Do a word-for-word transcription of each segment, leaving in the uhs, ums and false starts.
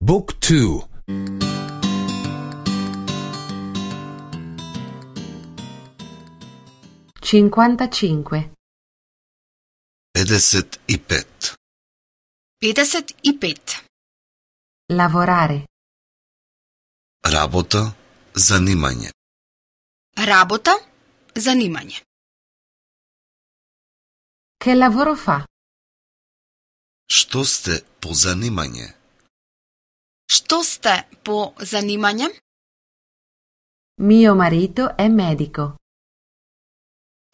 Book two. cinquantacinque. pedeset и пет. pedeset и пет. Lavorare. Работа, занимање. Работа, занимање. Che lavoro fa? Што сте по занимање? Што сте по занимање? Mio marito è medico.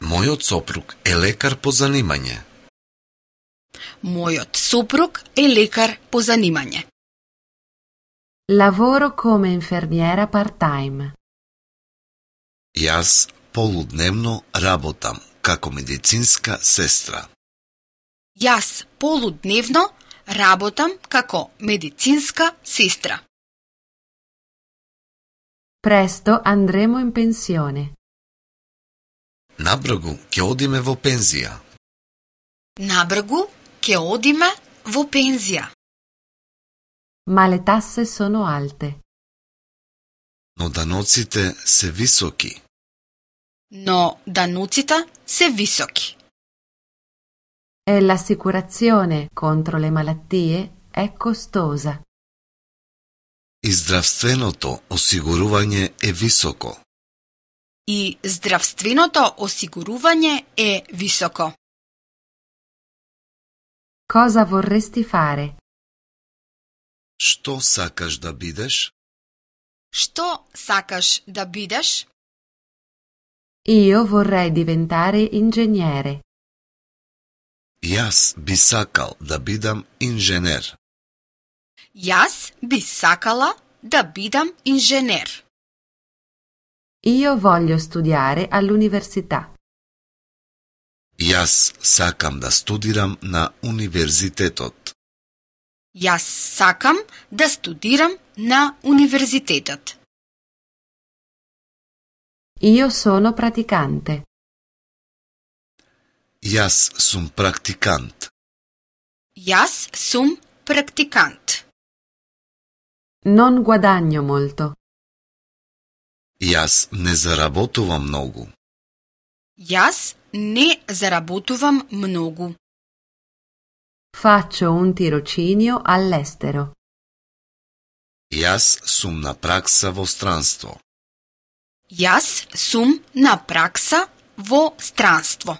Мојот сопруг е лекар по занимање. Мојот сопруг е лекар по занимање. Lavoro come infermiera part-time. Јас полудневно работам како медицинска сестра. Јас полудневно работам како медицинска сестра. Presto andremo in pensione. Набргу ќе одиме во пензија. Набргу ќе одиме во пензија. Ma le tasse sono alte. Но даноците се високи. Но даноците се високи. E l'assicurazione contro le malattie è costosa. И здравственото осигурување е високо. И здравственото осигурување е високо. Cosa vorresti fare? Што сакаш да бидеш? Што сакаш да бидеш? Io vorrei diventare ingegnere. Јас би сакал да бидам инженер. Јас би сакала да бидам инженер. Io voglio studiare all'università. Јас сакам да студирам на универзитетот. Јас сакам да студирам на универзитетот. Io sono praticante. Јас сум практикант. Јас сум практикант. Non guadagno molto. Јас не заработувам многу. Јас не заработувам многу. Faccio un tirocinio all'estero. Јас сум на пракса во странство. Јас сум на пракса во странство.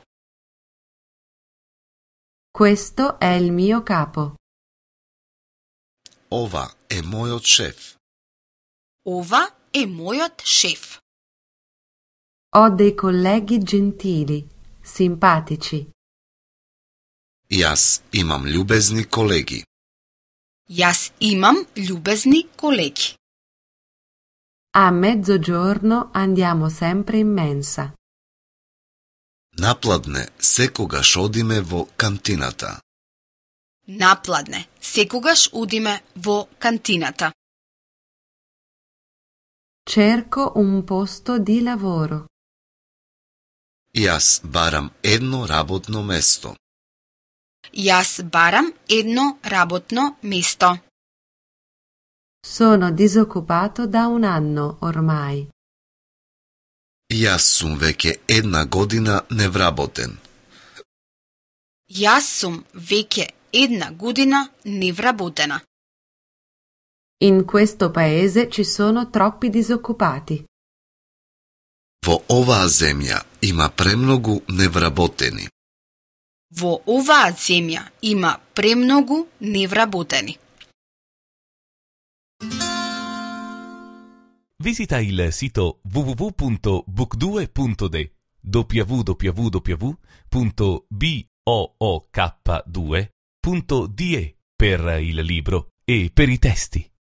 Questo è il mio capo. Ова е мојот шеф. Ова е мојот шеф. Ho dei colleghi gentili, simpatici. Јас имам љубезни колеги. Јас имам љубезни колеги. A mezzogiorno andiamo sempre in mensa. Напладне секогаш одиме во кантината. Напладне секогаш одиме во кантината. Cerco un posto di lavoro. Јас барам едно работно место. Јас барам едно работно место. Sono disoccupato da un anno ormai. Јас сум веќе една година невработен. Јас сум веќе една година невработена. In questo paese ci sono troppi disoccupati. Во оваа земја има премногу невработени. Во оваа земја има премногу невработени. Visita il sito w w w punto book due punto d w w w punto book due punto d e per il libro e per i testi.